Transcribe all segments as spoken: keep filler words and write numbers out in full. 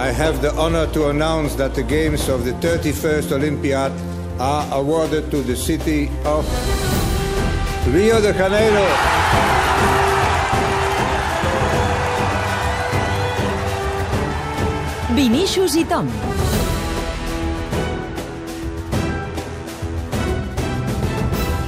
I have the honor to announce that the games of the thirty-first Olympiad are awarded to the city of Rio de Janeiro. Vinícius i Tom.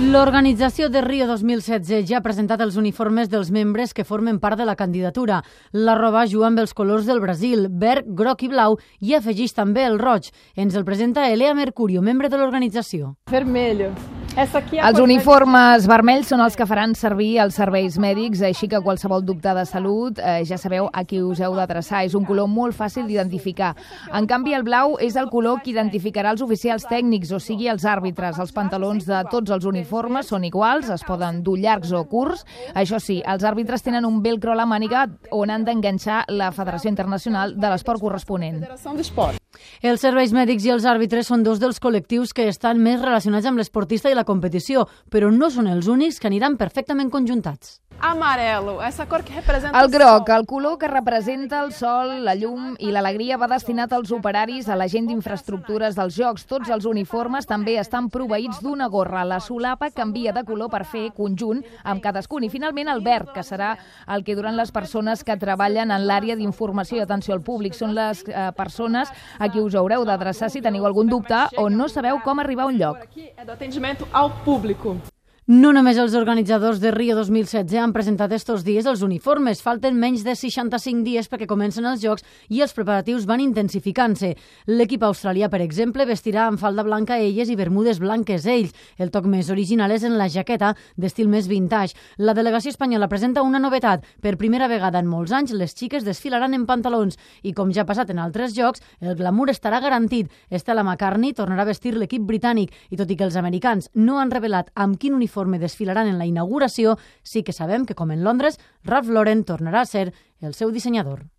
L'organització de Rio dos mil setze ja ha presentat els uniformes dels membres que formen part de la candidatura. La roba juga amb els colors del Brasil, verd, groc i blau, i afegeix també el roig. Ens el presenta Elea Mercurio, membre de l'organització. Vermelho. Els uniformes vermells són els que faran servir els serveis mèdics, així que qualsevol dubte de salut eh, ja sabeu a qui us heu de traçar. És un color molt fàcil d'identificar. En canvi, el blau és el color que identificarà els oficials tècnics, o sigui, els àrbitres. Els pantalons de tots els uniformes són iguals, es poden dur llargs o curts. Això sí, els àrbitres tenen un velcro a la màniga on han d'enganxar la Federació Internacional de l'Esport corresponent. Els serveis mèdics i els àrbitres són dos dels col·lectius que estan més relacionats amb l'esportista i la competició, però no són els únics que aniran perfectament conjuntats. Amarelo, essa cor que representa el groc, el color que representa el sol, la llum i l'alegria, va destinat als operaris, a la gent d'infraestructures dels Jocs. Tots els uniformes també estan proveïts d'una gorra. La solapa canvia de color per fer conjunt amb cadascun. I finalment el verd, que serà el que duran les persones que treballen en l'àrea d'informació i atenció al públic. Són les eh, persones a qui us haureu d'adreçar si teniu algun dubte o no sabeu com arribar a un lloc. No només els organitzadors de Rio dos mil setze han presentat estos dies els uniformes. Falten menys de seixanta-cinc dies perquè comencen els Jocs i els preparatius van intensificant-se. L'equip australià, per exemple, vestirà amb falda blanca elles i bermudes blanques ells. El toc més original és en la jaqueta, d'estil més vintage. La delegació espanyola presenta una novetat. Per primera vegada en molts anys, les xiques desfilaran en pantalons. I com ja ha passat en altres Jocs, el glamour estarà garantit. Stella McCartney tornarà a vestir l'equip britànic i tot i que els americans no han revelat amb quin uniforme desfilaran en la inauguració, sí que sabem que, com en Londres, Ralph Lauren tornarà a ser el seu dissenyador.